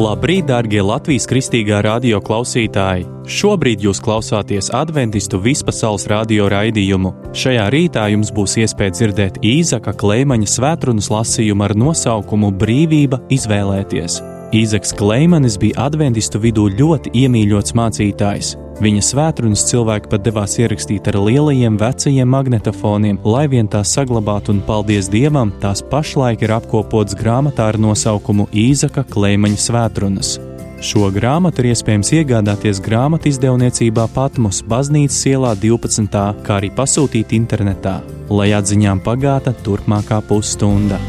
Labrīt, dārgie Latvijas Kristīgā radio klausītāji! Šobrīd jūs klausāties Adventistu vispasaules radio raidījumu. Šajā rītā jums būs iespēja dzirdēt Īzaka Kleimaņa svētrunas lasījumu ar nosaukumu Brīvība izvēlēties. Īzaks Kleimanis bija adventistu vidū ļoti iemīļots mācītājs. Viņa svētrunas cilvēki pat devās ierakstīt ar lielajiem vecajiem magnetofoniem, lai vien tās saglabātu, un paldies Dievam, tās pašlaik ir apkopotas grāmatā ar nosaukumu Īzaka Kleimaņa svētrunas. Šo grāmatu ir iespējams iegādāties grāmatu izdevniecībā Patmos Baznīcas ielā 12. kā arī pasūtīt internetā, lai atziņām pagāta turpmākā pusstunda.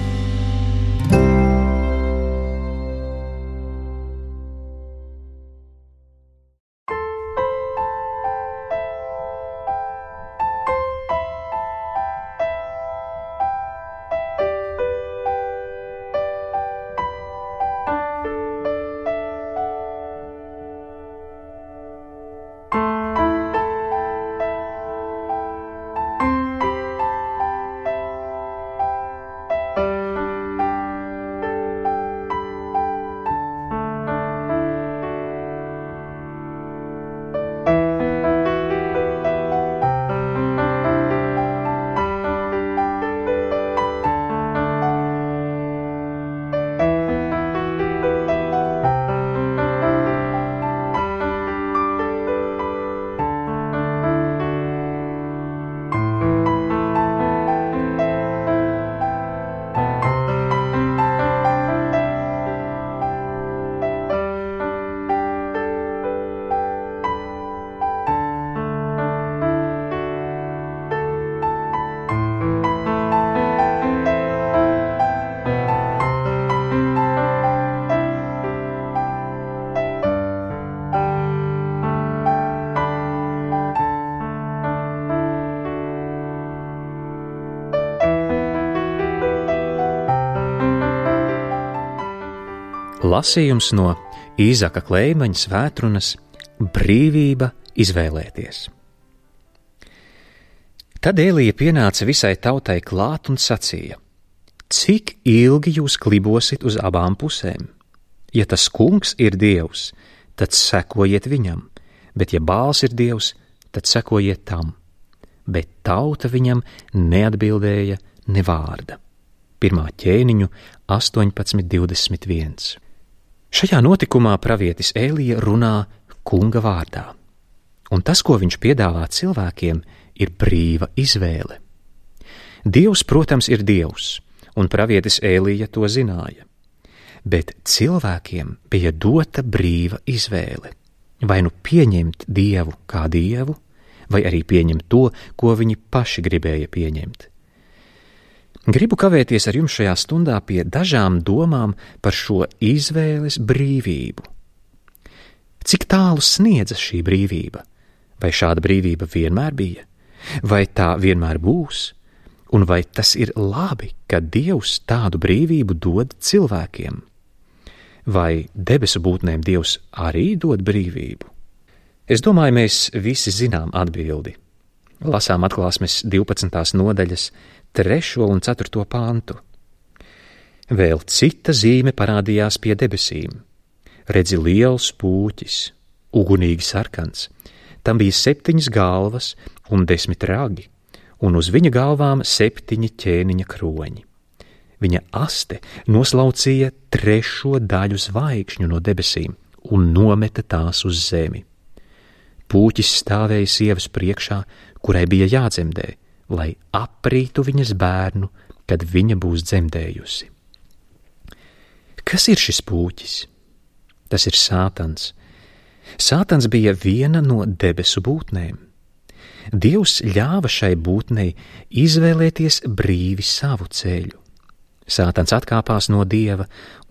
Lasījums no Īzaka Kleimaņa svētrunas Brīvība izvēlēties. Tad Elija pienāca visai tautai klāt un sacīja: Cik ilgi jūs klibosit uz abām pusēm? Ja tas kungs ir Dievs, tad sekojiet viņam, bet ja Bāls ir Dievs, tad sekojiet tam. Bet tauta viņam neatbildēja ne vārda. 1. ķēniņu 18:21. Šajā notikumā pravietis Elija runā kunga vārdā, un tas, ko viņš piedāvā cilvēkiem, ir brīva izvēle. Dievs, protams, ir Dievs, un pravietis Elija to zināja, bet cilvēkiem bija dota brīva izvēle, vai nu pieņemt Dievu kā Dievu, vai arī pieņemt to, ko viņi paši gribēja pieņemt. Gribu kavēties ar jums šajā stundā pie dažām domām par šo izvēles brīvību. Cik tālu sniedzas šī brīvība? Vai šāda brīvība vienmēr bija? Vai tā vienmēr būs? Un vai tas ir labi, ka Dievs tādu brīvību dod cilvēkiem? Vai debesu būtnēm Dievs arī dod brīvību? Es domāju, mēs visi zinām atbildi. Lasām Atklāsmes 12. nodaļas 3. un 4. pantu. Vēl cita zīme parādījās pie debesīm. Redzi liels pūķis, ugunīgi sarkans. Tam bija 7 galvas un 10 ragi, un uz viņa galvām 7 ķēniņa kroņi. Viņa aste noslaucīja 3. daļu zvaigžņu no debesīm un nometa tās uz zemi. Pūķis stāvēja sievas priekšā, kurai bija jādzemdē, lai aprītu viņas bērnu, kad viņa būs dzemdējusi. Kas ir šis pūķis? Tas ir Sātans. Sātans bija viena no debesu būtnēm. Dievs ļāva šai būtnei izvēlēties brīvi savu ceļu. Sātans atkāpās no Dieva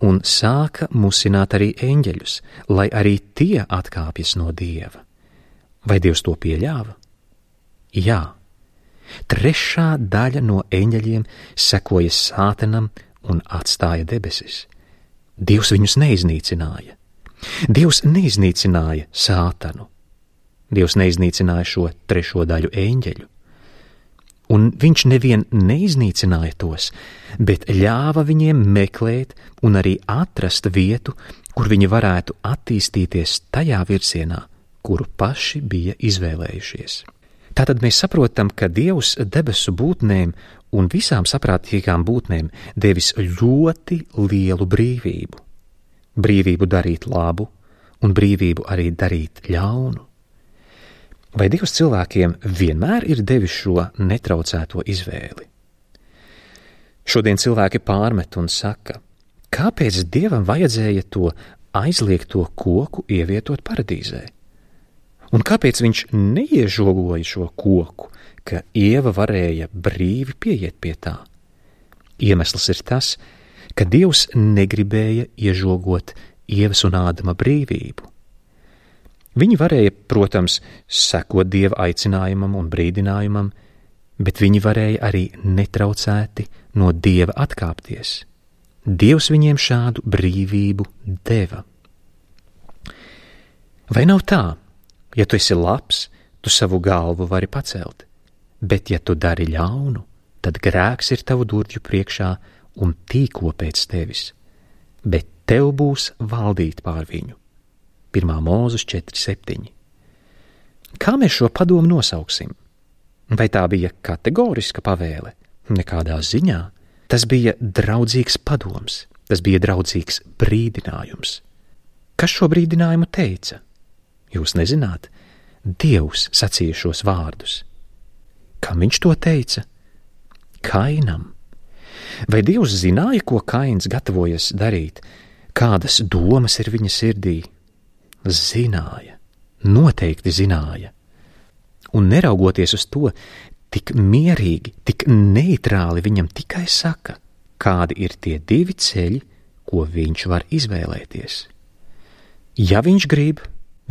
un sāka musināt arī eņģeļus, lai arī tie atkāpjas no Dieva. Vai Dievs to pieļāva? Jā. 3. daļa no eņģeļiem sekoja Sātanam un atstāja debesis. Dievs viņus neiznīcināja. Dievs neiznīcināja Sātanu. Dievs neiznīcināja šo 3. daļu eņģeļu. Un viņš nevien neiznīcināja tos, bet ļāva viņiem meklēt un arī atrast vietu, kur viņi varētu attīstīties tajā virzienā, kuru paši bija izvēlējušies. Tātad mēs saprotam, ka Dievs debesu būtnēm un visām saprātīgām būtnēm devis ļoti lielu brīvību. Brīvību darīt labu un brīvību arī darīt ļaunu. Vai Dievs cilvēkiem vienmēr ir devis šo netraucēto izvēli? Šodien cilvēki pārmet un saka, kāpēc Dievam vajadzēja to aizliegto koku ievietot paradīzē? Un kāpēc viņš neiežogoja šo koku, ka Ieva varēja brīvi pieiet pie tā? Iemesls ir tas, ka Dievs negribēja iežogot Ievas un Ādama brīvību. Viņi varēja, protams, sekot Dieva aicinājumam un brīdinājumam, bet viņi varēja arī netraucēti no Dieva atkāpties. Dievs viņiem šādu brīvību deva. Vai nav tā? Ja tu esi labs, tu savu galvu vari pacelt, bet ja tu dari ļaunu, tad grēks ir tavu durvju priekšā un tīko pēc tevis, bet tev būs valdīt pār viņu. 1. Mūzes 4:7. Kā mēs šo padomu nosauksim? Vai tā bija kategoriska pavēle? Nekādā ziņā. Tas bija draudzīgs padoms, tas bija draudzīgs brīdinājums. Kas šo brīdinājumu teica? Jūs nezināt, Dievs sacīja šos vārdus. Kam viņš to teica? Kainam. Vai Dievs zināja, ko Kains gatavojas darīt? Kādas domas ir viņa sirdī? Zināja, noteikti zināja. Un neraugoties uz to, tik mierīgi, tik neitrāli viņam tikai saka, kādi ir tie divi ceļi, ko viņš var izvēlēties. Ja viņš grib,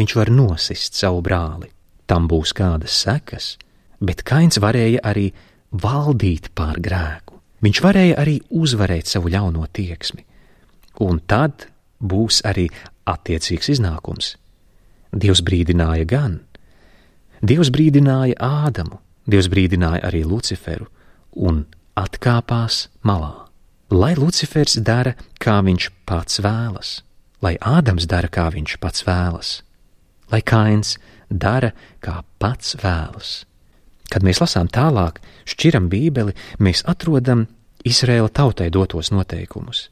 viņš var nosist savu brāli, tam būs kādas sekas, bet Kains varēja arī valdīt pār grēku. Viņš varēja arī uzvarēt savu ļauno tieksmi, un tad būs arī attiecīgs iznākums. Dievs brīdināja gan. Dievs brīdināja Ādamu, Dievs brīdināja arī Luciferu un atkāpās malā. Lai Lucifers dara, kā viņš pats vēlas, lai Ādams dara, kā viņš pats vēlas, lai Kains dara, kā pats vēlas. Kad mēs lasām tālāk, šķiram Bībeli, mēs atrodam Izraēla tautai dotos noteikumus.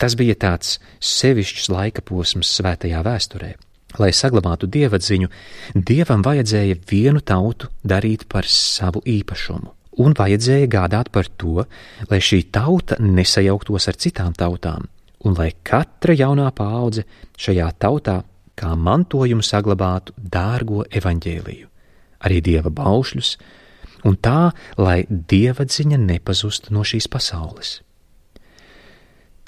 Tas bija tāds sevišķs laika posms svētajā vēsturē. Lai saglabātu dievatziņu, Dievam vajadzēja vienu tautu darīt par savu īpašumu, un vajadzēja gādāt par to, lai šī tauta nesajauktos ar citām tautām, un lai katra jaunā paudze šajā tautā kā mantojumu saglabātu dārgo evaņģēliju, arī Dieva baušļus, un tā, lai dievatziņa nepazustu no šīs pasaules.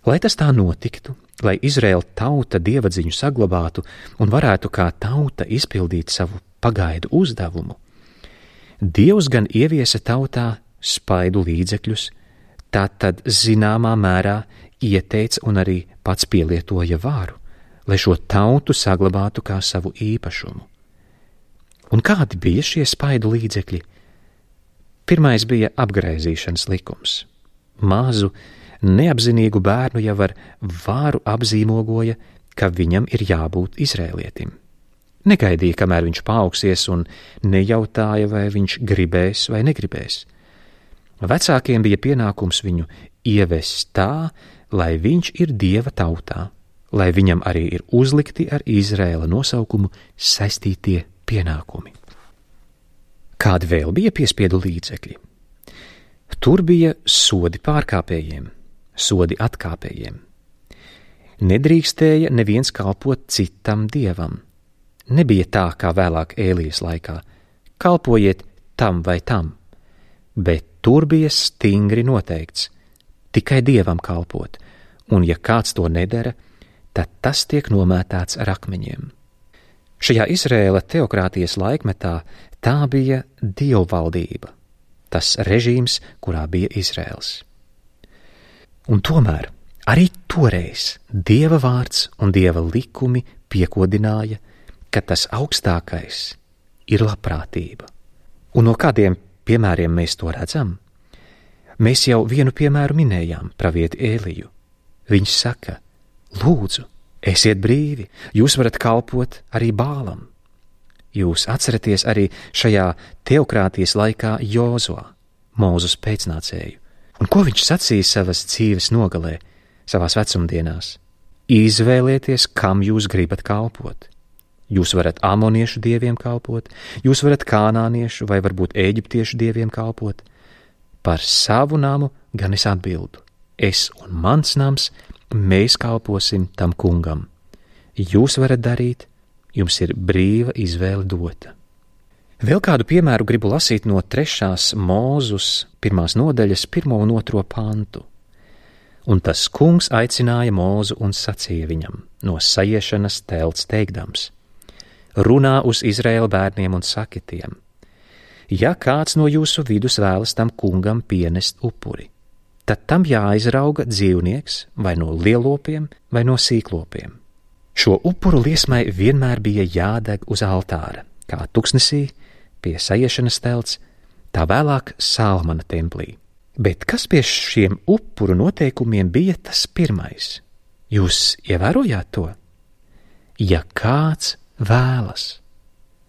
Lai tas tā notiktu, lai Izraēla tauta dievatziņu saglabātu un varētu kā tauta izpildīt savu pagaidu uzdevumu, Dievs gan ieviesa tautā spaidu līdzekļus, tātad zināmā mērā ieteica un arī pats pielietoja varu, lai šo tautu saglabātu kā savu īpašumu. Un kādi bija šie spaidu līdzekļi? Pirmais bija apgraizīšanas likums. Mazu, neapzinīgu bērnu jau ar vāru apzīmogoja, ka viņam ir jābūt izrēlietim. Negaidīja, kamēr viņš paaugsies, un nejautāja, vai viņš gribēs vai negribēs. Vecākiem bija pienākums viņu ievest tā, lai viņš ir Dieva tautā, lai viņam arī ir uzlikti ar Izraēla nosaukumu saistītie pienākumi. Kādi vēl bija piespiedu līdzekļi? Tur bija sodi pārkāpējiem, sodi atkāpējiem. Nedrīkstēja neviens kalpot citam dievam. Nebija tā, kā vēlāk Ēlijas laikā, kalpojiet tam vai tam, bet tur bija stingri noteikts, tikai Dievam kalpot, un ja kāds to nedara, tad tas tiek nomētāts ar akmeņiem. Šajā Izraēla teokrātijas laikmetā tā bija dievvaldība, tas režīms, kurā bija Izraels. Un tomēr arī toreiz Dieva vārds un Dieva likumi piekodināja, ka tas augstākais ir labprātība. Un no kādiem piemēriem mēs to redzam? Mēs jau vienu piemēru minējām, pravieti Ēliju. Viņš saka, lūdzu, Esiet brīvi, jūs varat kalpot arī Bālam. Jūs atceraties arī šajā teokrātijas laikā Jozua, Mūzes pēcnācēju. Un ko viņš sacīja savas dzīves nogalē, savās vecumdienās? Izvēlieties, kam jūs gribat kalpot. Jūs varat amoniešu dieviem kalpot, jūs varat kanāniešu vai varbūt eģiptiešu dieviem kalpot. Par savu namu gan es atbildu. Es un mans nams, mēs kalposim tam kungam. Jūs varat darīt, jums ir brīva izvēle dota. Vēl kādu piemēru gribu lasīt no 3. Mūzes 1. nodaļas 1. un 2. pantu. Un tas kungs aicināja Mūzu un sacīja viņam no sajiešanas telts teikdams: runā uz Izraēla bērniem un saki tiem: ja kāds no jūsu vidus vēlas tam kungam pienest upuri, tad tam jāizrauga dzīvnieks vai no lielopiem vai no sīklopiem. Šo upuru liesmai vienmēr bija jādeg uz altāra, kā tuksnesī pie sajiešanas telts, tā vēlāk Salmana templī. Bet kas pie šiem upuru noteikumiem bija tas pirmais? Jūs ievērojāt to? Ja kāds vēlas.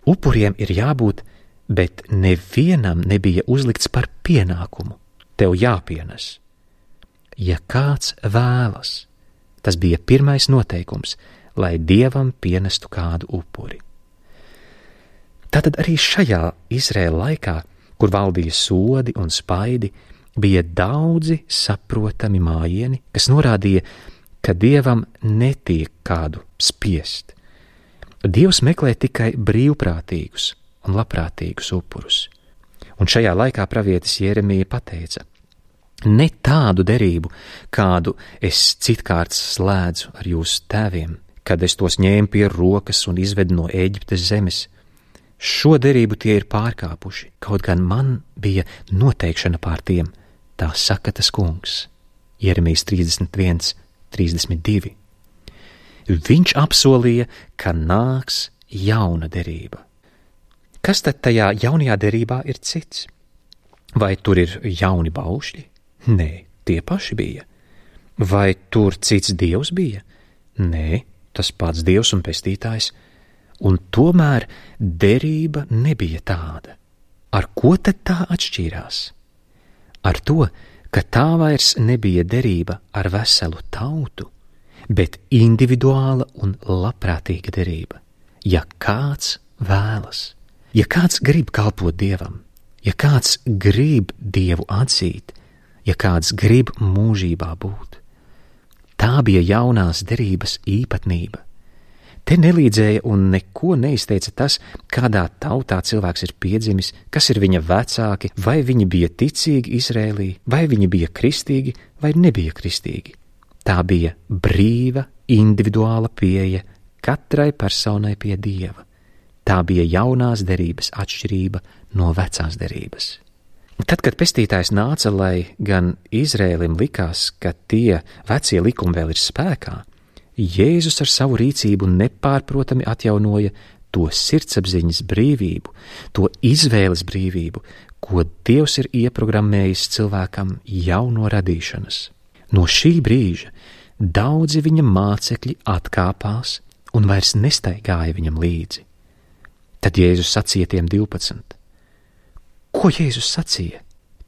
Upuriem ir jābūt, bet nevienam nebija uzlikts par pienākumu. Tev jāpienes. Ja kāds vēlas, tas bija pirmais noteikums, lai Dievam pienestu kādu upuri. Tātad arī šajā Izraēla laikā, kur valdīja sodi un spaidi, bija daudzi saprotami mājieni, kas norādīja, ka Dievam netiek kādu spiest. Dievs meklē tikai brīvprātīgus un labprātīgus upurus. Un šajā laikā pravietis Jeremija pateica: ne tādu derību, kādu es citkārt slēdzu ar jūsu tēviem, kad es tos ņēmu pie rokas un izvedu no Ēģiptes zemes. Šo derību tie ir pārkāpuši, kaut gan man bija noteikšana pār tiem, tā saka tas kungs. Jeremijas 31, 32. Viņš apsolīja, ka nāks jauna derība. Kas tad tajā jaunajā derībā ir cits? Vai tur ir jauni baušļi? Nē, tie paši bija. Vai tur cits dievs bija? Nē, tas pats dievs un pestītājs. Un tomēr derība nebija tāda. Ar ko tad tā atšķīrās? Ar to, ka tā vairs nebija derība ar veselu tautu, bet individuāla un labprātīga derība. Ja kāds vēlas, ja kāds grib kalpot Dievam, ja kāds grib Dievu atzīt, ja kāds grib mūžībā būt. Tā bija jaunās derības īpatnība. Te nelīdzēja un neko neizteica tas, kādā tautā cilvēks ir piedzimis, kas ir viņa vecāki, vai viņi bija ticīgi Izrēlī, vai viņi bija kristīgi, vai nebija kristīgi. Tā bija brīva, individuāla pieeja katrai personai pie Dieva. Tā bija jaunās derības atšķirība no vecās derības. Tad, kad pestītājs nāca, lai gan Izrēlim likās, ka tie vecie likumi vēl ir spēkā, Jēzus ar savu rīcību nepārprotami atjaunoja to sirdsapziņas brīvību, to izvēles brīvību, ko Dievs ir ieprogrammējis cilvēkam jau no radīšanas. No šī brīža daudzi viņa mācekļi atkāpās un vairs nestaigāja viņam līdzi. Tad Jēzus sacīja tiem 12. Ko Jēzus sacīja?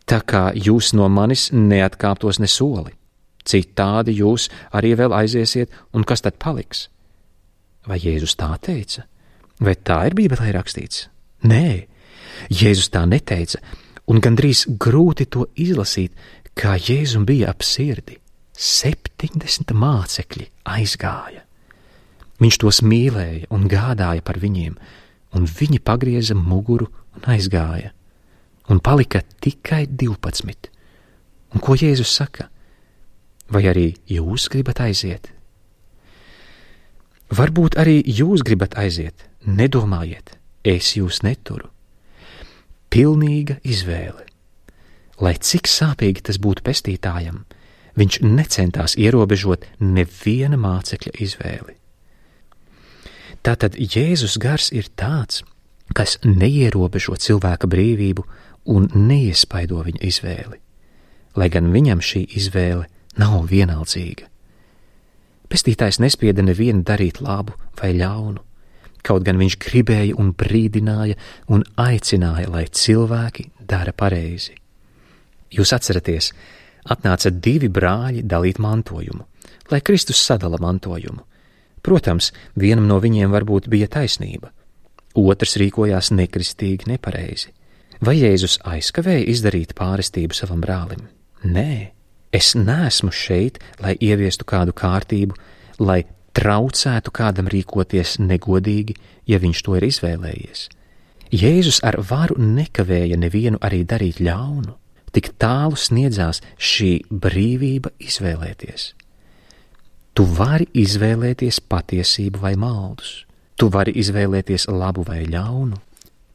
Tā kā jūs no manis neatkāptos ne soli. Citādi jūs arī vēl aiziesiet, un kas tad paliks? Vai Jēzus tā teica? Vai tā ir Bībelē rakstīts? Nē, Jēzus tā neteica, un gandrīz grūti to izlasīt, kā Jēzum bija ap sirdi. 70 mācekļi aizgāja. Viņš tos mīlēja un gādāja par viņiem, un viņi pagrieza muguru un aizgāja. Un palika tikai 12. Un ko Jēzus saka? Vai arī jūs gribat aiziet? Varbūt arī jūs gribat aiziet, nedomājiet, es jūs neturu. Pilnīga izvēle. Lai cik sāpīgi tas būtu pestītājam, viņš necentās ierobežot neviena mācekļa izvēli. Tātad Jēzus gars ir tāds, kas neierobežo cilvēka brīvību un neiespaido viņa izvēli, lai gan viņam šī izvēle nav vienaldzīga. Pestītājs nespieda nevienu darīt labu vai ļaunu, kaut gan viņš gribēja un brīdināja un aicināja, lai cilvēki dara pareizi. Jūs atceraties, atnāca 2 brāļi dalīt mantojumu, lai Kristus sadala mantojumu. Protams, vienam no viņiem varbūt bija taisnība, otrs rīkojās nekristīgi nepareizi. Vai Jēzus aizkavēja izdarīt pārestību savam brālim? Nē, es neesmu šeit, lai ieviestu kādu kārtību, lai traucētu kādam rīkoties negodīgi, ja viņš to ir izvēlējies. Jēzus ar varu nekavēja nevienu arī darīt ļaunu, tik tālu sniedzās šī brīvība izvēlēties. Tu vari izvēlēties patiesību vai maldus, tu vari izvēlēties labu vai ļaunu.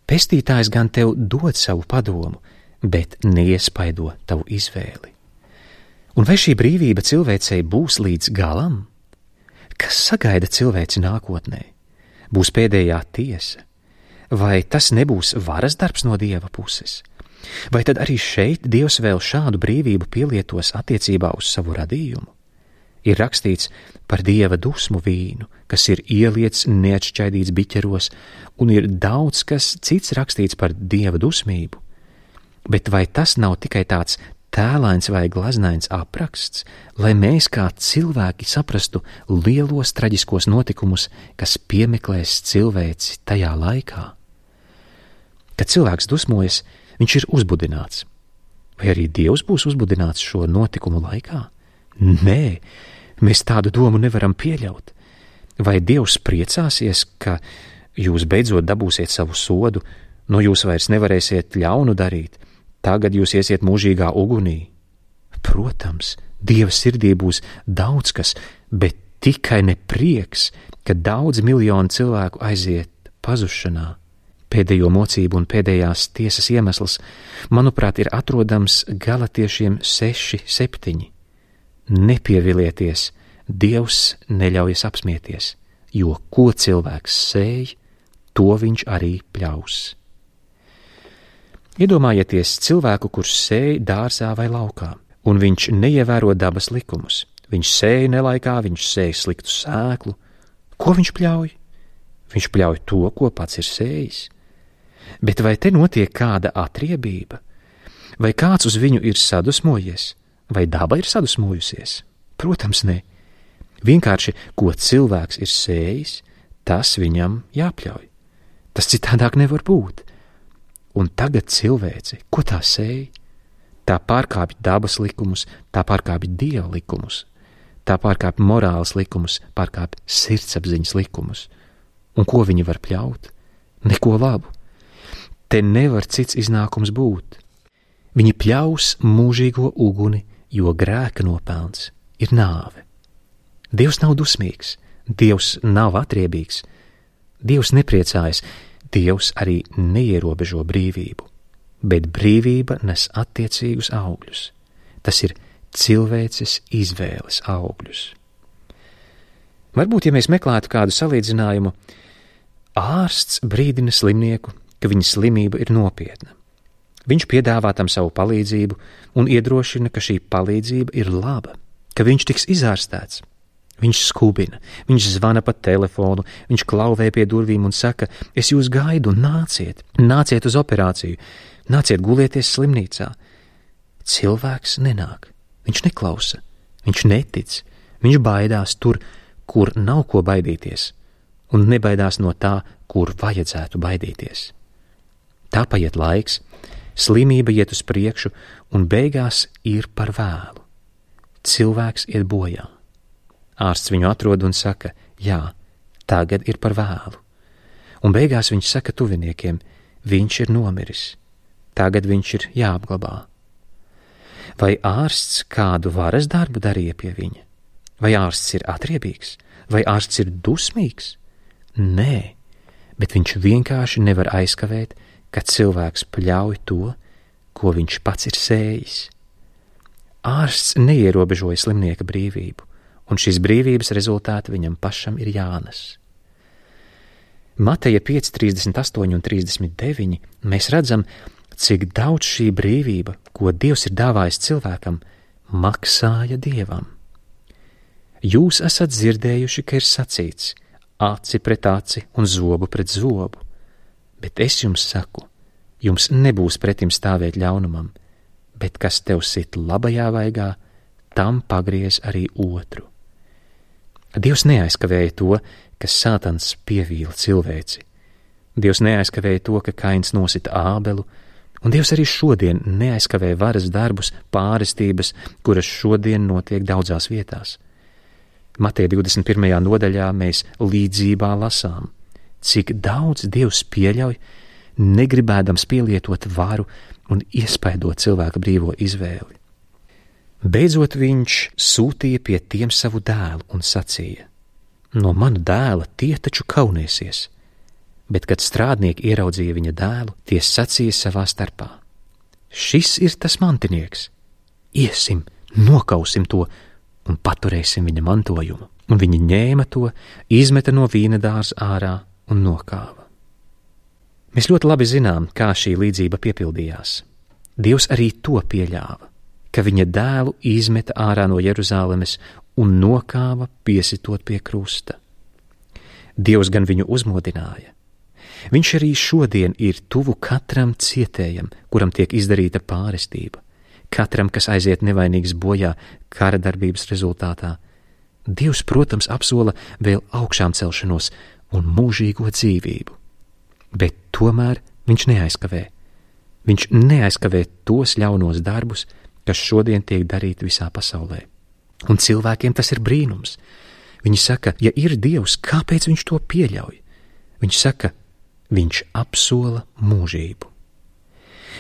Pestītājs gan tev dod savu padomu, bet neiespaido tavu izvēli. Un vai šī brīvība cilvēcei būs līdz galam? Kas sagaida cilvēci nākotnē? Būs pēdējā tiesa? Vai tas nebūs varas darbs no Dieva puses? Vai tad arī šeit Dievs vēl šādu brīvību pielietos attiecībā uz savu radījumu? Ir rakstīts par Dieva dusmu vīnu, kas ir ieliets neatšķaidīts biķeros, un ir daudz kas cits rakstīts par Dieva dusmību. Bet vai tas nav tikai tāds tēlains vai glaznains apraksts, lai mēs kā cilvēki saprastu lielos traģiskos notikumus, kas piemeklēs cilvēci tajā laikā? Kad cilvēks dusmojas, viņš ir uzbudināts. Vai arī Dievs būs uzbudināts šo notikumu laikā? Nē, mēs tādu domu nevaram pieļaut. Vai Dievs priecāsies, ka jūs beidzot dabūsiet savu sodu, no jūs vairs nevarēsiet ļaunu darīt, tagad jūs iesiet mūžīgā ugunī? Protams, Dieva sirdī būs daudz kas, bet tikai ne prieks, ka daudz miljonu cilvēku aiziet pazušanā. Pēdējo mocību un pēdējās tiesas iemesls, manuprāt, ir atrodams Galatiešiem 6:7. Nepievilieties, Dievs neļaujas apsmieties, jo ko cilvēks sēj, to viņš arī pļaus. Iedomājieties cilvēku, kurš sēj dārzā vai laukā, un viņš neievēro dabas likumus. Viņš sēj nelaikā, viņš sēj sliktu sēklu. Ko viņš pļauj? Viņš pļauj to, ko pats ir sējis. Bet vai te notiek kāda atriebība? Vai kāds uz viņu ir sadusmojies? Vai daba ir sadusmojusies? Protams, ne. Vienkārši, ko cilvēks ir sējis, tas viņam jāpļauj. Tas citādāk nevar būt. Un tagad cilvēci, ko tā sēj? Tā pārkāpj dabas likumus, tā pārkāpj Dieva likumus, tā pārkāpj morāles likumus, pārkāpj sirdsapziņas likumus. Un ko viņi var pļaut? Neko labu. Te nevar cits iznākums būt. Viņi pļaus mūžīgo uguni, jo grēka nopelns ir nāve. Dievs nav dusmīgs, Dievs nav atriebīgs, Dievs nepriecājas, Dievs arī neierobežo brīvību, bet brīvība nes attiecīgus augļus. Tas ir cilvēces izvēles augļus. Varbūt, ja mēs meklētu kādu salīdzinājumu, ārsts brīdina slimnieku, ka viņa slimība ir nopietna. Viņš piedāvā tam savu palīdzību un iedrošina, ka šī palīdzība ir laba, ka viņš tiks izārstēts. Viņš skubina, viņš zvana pa telefonu, viņš klauvē pie durvīm un saka, es jūs gaidu, nāciet uz operāciju, nāciet gulieties slimnīcā. Cilvēks nenāk, viņš neklausa, viņš netic, viņš baidās tur, kur nav ko baidīties, un nebaidās no tā, kur vajadzētu baidīties. Tā paiet laiks, slimība iet uz priekšu, un beigās ir par vēlu. Cilvēks iet bojā. Ārsts viņu atrod un saka, jā, tagad ir par vēlu. Un beigās viņš saka tuviniekiem, viņš ir nomiris, tagad viņš ir jāapglabā. Vai ārsts kādu varas darbu darīja pie viņa? Vai ārsts ir atriebīgs? Vai ārsts ir dusmīgs? Nē, bet viņš vienkārši nevar aizkavēt, ka cilvēks pļauj to, ko viņš pats ir sējis. Ārsts neierobežoja slimnieka brīvību, un šīs brīvības rezultāti viņam pašam ir jānes. Mateja 5:38 un 39 mēs redzam, cik daudz šī brīvība, ko Dievs ir dāvājis cilvēkam, maksāja Dievam. Jūs esat dzirdējuši, ka ir sacīts: aci pret aci un zobu pret zobu. Bet es jums saku, jums nebūs pretim stāvēt ļaunumam, bet kas tev sit labajā vaigā, tam pagriez arī otru. Dievs neaizkavēja to, ka Sātans pievīla cilvēci. Dievs neaizkavēja to, ka Kains nosita Ābelu, un Dievs arī šodien neaizkavē varas darbus, pārestības, kuras šodien notiek daudzās vietās. Mateja 21. nodaļā mēs līdzībā lasām, cik daudz Dievs pieļauj, negribēdams pielietot varu un iespaidot cilvēka brīvo izvēli. Beidzot viņš sūtīja pie tiem savu dēlu un sacīja: no mana dēla tie taču kaunēsies. Bet, kad strādnieki ieraudzīja viņa dēlu, tie sacīja savā starpā: šis ir tas mantinieks, iesim, nokausim to un paturēsim viņa mantojumu. Un viņi ņēma to, izmeta no vīna dārza ārā un nokāva. Mēs ļoti labi zinām, kā šī līdzība piepildījās. Dievs arī to pieļāva, ka viņa dēlu izmeta ārā no Jeruzālemes un nokāva, piesitot pie krusta. Dievs gan viņu uzmodināja. Viņš arī šodien ir tuvu katram cietējam, kuram tiek izdarīta pārestība, katram, kas aiziet nevainīgs bojā kara darbības rezultātā. Dievs, protams, apsola vēl augšām celšanos un mūžīgo dzīvību, bet tomēr viņš neaizkavē. Viņš neaizkavē tos ļaunos darbus, kas šodien tiek darīti visā pasaulē. Un cilvēkiem tas ir brīnums. Viņi saka, ja ir Dievs, kāpēc viņš to pieļauj? Viņš saka, viņš apsola mūžību.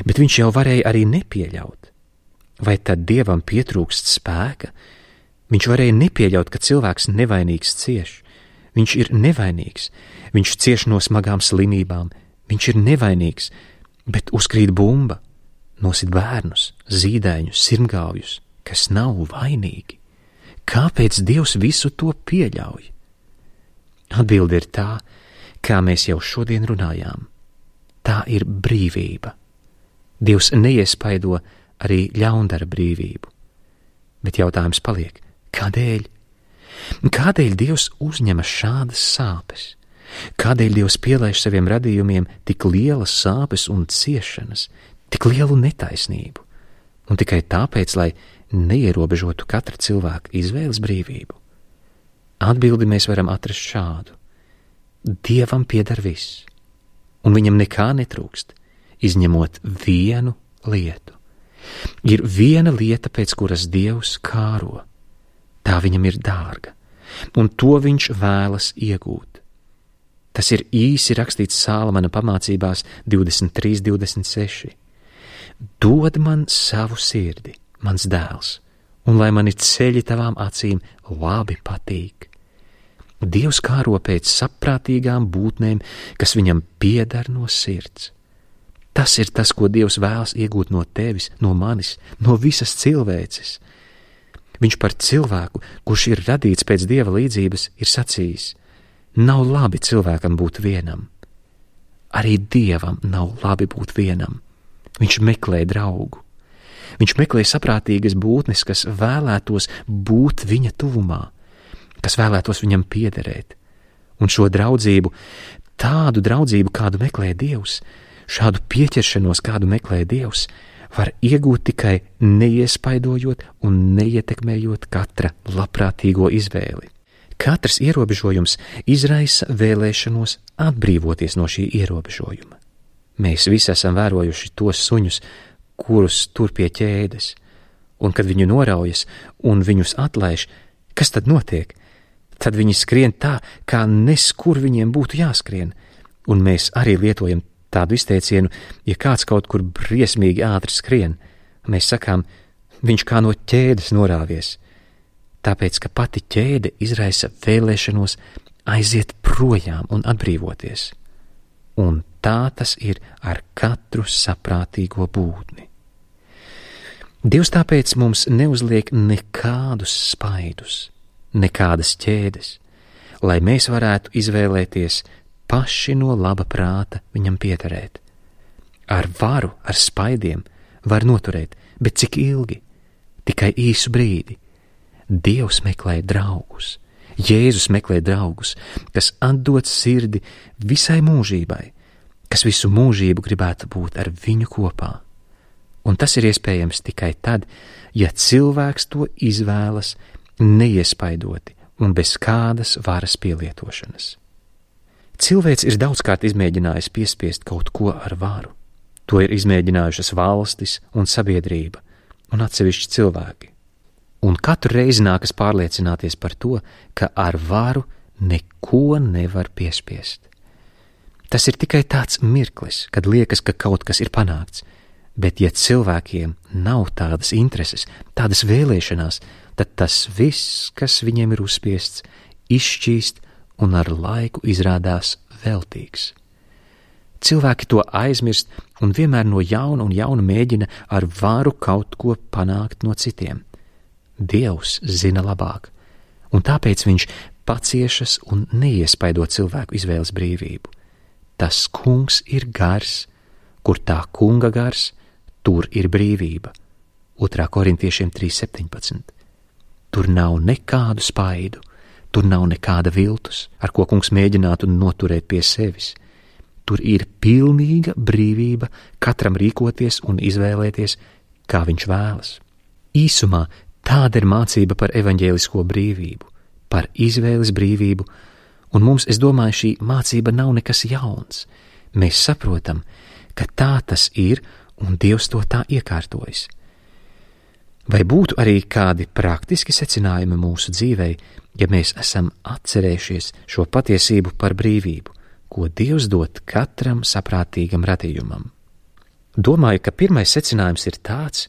Bet viņš jau varēja arī nepieļaut. Vai tad Dievam pietrūkst spēka? Viņš varēja nepieļaut, ka cilvēks nevainīgs cieš. Viņš ir nevainīgs. Viņš cieš no smagām slimībām. Viņš ir nevainīgs, bet uzkrīt bumba, nosit bērnus, zīdaiņus, sirmgāvjus, kas nav vainīgi. Kāpēc Dievs visu to pieļauj? Atbilde ir tā, kā mēs jau šodien runājām. Tā ir brīvība. Dievs neiespaido arī ļaundara brīvību. Bet jautājums paliek, kādēļ? Kādēļ Dievs uzņemas šādas sāpes? Kādēļ Dievs pielaiž saviem radījumiem tik lielas sāpes un ciešanas, tik lielu netaisnību? Un tikai tāpēc, lai neierobežotu katra cilvēka izvēles brīvību? Atbildi mēs varam atrast šādu. Dievam pieder viss, un viņam nekā netrūkst, izņemot vienu lietu. Ir viena lieta, pēc kuras Dievs kāro. Tā viņam ir dārga, un to viņš vēlas iegūt. Tas ir īsi rakstīts Sālamana pamācībās 23:26. Dod man savu sirdi, mans dēls, un lai mani ceļi tavām acīm labi patīk. Dievs kāro pēc saprātīgām būtnēm, kas viņam pieder no sirds. Tas ir tas, ko Dievs vēlas iegūt no tevis, no manis, no visas cilvēces. Viņš par cilvēku, kurš ir radīts pēc Dieva līdzības, ir sacījis: nav labi cilvēkam būt vienam. Arī Dievam nav labi būt vienam. Viņš meklē draugu. Viņš meklē saprātīgas būtnes, kas vēlētos būt viņa tuvumā, kas vēlētos viņam piederēt. Un šo draudzību, tādu draudzību, kādu meklē Dievs, šādu pieķeršanos, kādu meklē Dievs, var iegūt tikai neiespaidojot un neietekmējot katra labprātīgo izvēli. Katrs ierobežojums izraisa vēlēšanos atbrīvoties no šī ierobežojuma. Mēs visi esam vērojuši tos suņus, kurus tur pie ķēdes, un kad viņu noraujas un viņus atlaiž, kas tad notiek? Tad viņi skrien tā, kā neskur viņiem būtu jāskrien, un mēs arī lietojam tādu izteicienu, ja kāds kaut kur briesmīgi ātri skrien, mēs sakām, viņš kā no ķēdes norāvies, tāpēc, ka pati ķēde izraisa vēlēšanos aiziet projām un atbrīvoties. Un tā tas ir ar katru saprātīgo būtni. Dievs tāpēc mums neuzliek nekādus spaidus, nekādas ķēdes, lai mēs varētu izvēlēties paši no laba prāta viņam piederēt. Ar varu, ar spaidiem var noturēt, bet cik ilgi? Tikai īsu brīdi. Dievs meklē draugus. Jēzus meklē draugus, kas atdod sirdi visai mūžībai, kas visu mūžību gribētu būt ar viņu kopā. Un tas ir iespējams tikai tad, ja cilvēks to izvēlas neiespaidoti un bez kādas varas pielietošanas. Cilvēks ir daudzkārt izmēģinājis piespiest kaut ko ar varu. To ir izmēģinājušas valstis un sabiedrība un atsevišķi cilvēki. Un katru reizi nākas pārliecināties par to, ka ar varu neko nevar piespiest. Tas ir tikai tāds mirklis, kad liekas, ka kaut kas ir panākts, bet ja cilvēkiem nav tādas intereses, tādas vēlēšanās, tad tas viss, kas viņiem ir uzspiests, izšķīst un ar laiku izrādās veltīgs. Cilvēki to aizmirst un vienmēr no jauna un jauna mēģina ar varu kaut ko panākt no citiem. Dievs zina labāk, un tāpēc viņš paciešas un neiespaido cilvēku izvēles brīvību. Tas kungs ir gars, kur tā kunga gars, tur ir brīvība. 2. Korintiešiem 3:17. Tur nav nekādu spaidu, tur nav nekāda viltus, ar ko kungs mēģinātu noturēt pie sevis. Tur ir pilnīga brīvība katram rīkoties un izvēlēties, kā viņš vēlas. Īsumā tāda ir mācība par evaņģēlisko brīvību, par izvēles brīvību, un mums, es domāju, šī mācība nav nekas jauns. Mēs saprotam, ka tā tas ir, un Dievs to tā iekārtojas. Vai būtu arī kādi praktiski secinājumi mūsu dzīvei, ja mēs esam atcerējušies šo patiesību par brīvību, ko Dievs dod katram saprātīgam radījumam? Domāju, ka pirmais secinājums ir tāds,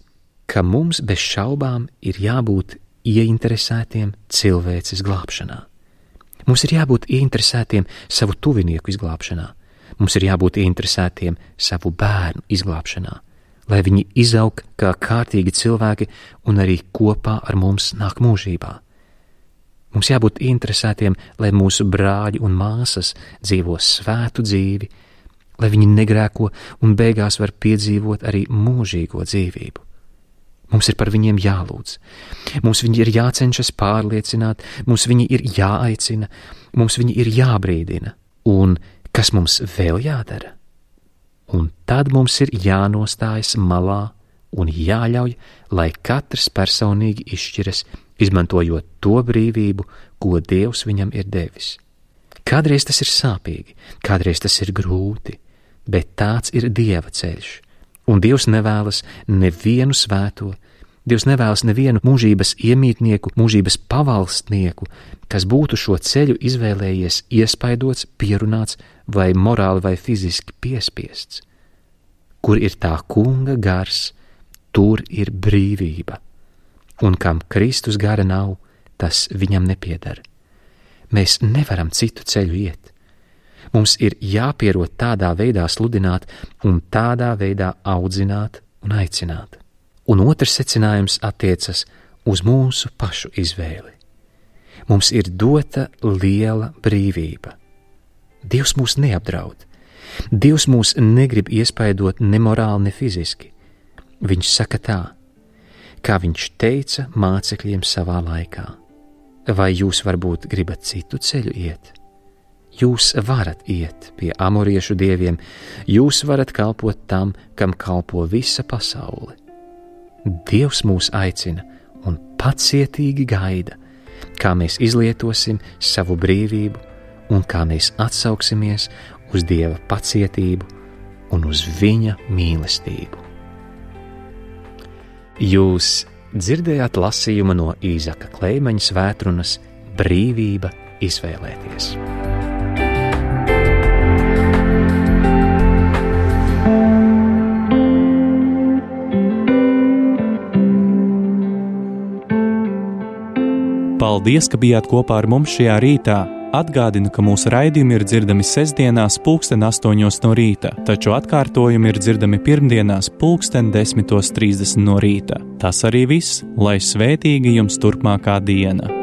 ka mums bez šaubām ir jābūt ieinteresētiem cilvēces glābšanā. Mums ir jābūt ieinteresētiem savu tuvinieku izglābšanā. Mums ir jābūt ieinteresētiem savu bērnu izglābšanā, lai viņi izaug kā kārtīgi cilvēki un arī kopā ar mums nāk mūžībā. Mums jābūt interesētiem, lai mūsu brāļi un māsas dzīvo svētu dzīvi, lai viņi negrēko un beigās var piedzīvot arī mūžīgo dzīvību. Mums ir par viņiem jālūdz, mums viņi ir jācenšas pārliecināt, mums viņi ir jāaicina, mums viņi ir jābrīdina. Un kas mums vēl jādara? Un tad mums ir jānostājas malā un jāļauj, lai katrs personīgi izšķiras, izmantojot to brīvību, ko Dievs viņam ir devis. Kādreiz tas ir sāpīgi, kādreiz tas ir grūti, bet tāds ir Dieva ceļš. Un Dievs nevēlas nevienu svēto, Dievs nevēlas nevienu mūžības iemītnieku, mūžības pavalstnieku, kas būtu šo ceļu izvēlējies iespaidots, pierunāts vai morāli vai fiziski piespiests. Kur ir tā kunga gars, tur ir brīvība. Un kam Kristus gara nav, tas viņam nepieder. Mēs nevaram citu ceļu iet. Mums ir jāpierod tādā veidā sludināt un tādā veidā audzināt un aicināt. Un otrs secinājums attiecas uz mūsu pašu izvēli. Mums ir dota liela brīvība. Dievs mūs neapdraud. Dievs mūs negrib iespaidot ne morāli, ne fiziski. Viņš saka tā, kā viņš teica mācekļiem savā laikā. Vai jūs varbūt gribat citu ceļu iet? Jūs varat iet pie amoriešu dieviem, jūs varat kalpot tam, kam kalpo visa pasaule. Dievs mūs aicina un pacietīgi gaida, kā mēs izlietosim savu brīvību un kā mēs atsauksimies uz Dieva pacietību un uz viņa mīlestību. Jūs dzirdējāt lasījumu no Īzaka Kleimaņa svētrunas Brīvība izvēlēties. Paldies, ka bijāt kopā ar mums šajā rītā. Atgādinu, ka mūsu raidījumi ir dzirdami sestdienās 8:00 no rīta, taču atkārtojumi ir dzirdami pirmdienās 10:30 no rīta. Tas arī viss, lai svētīga jums turpmākā diena!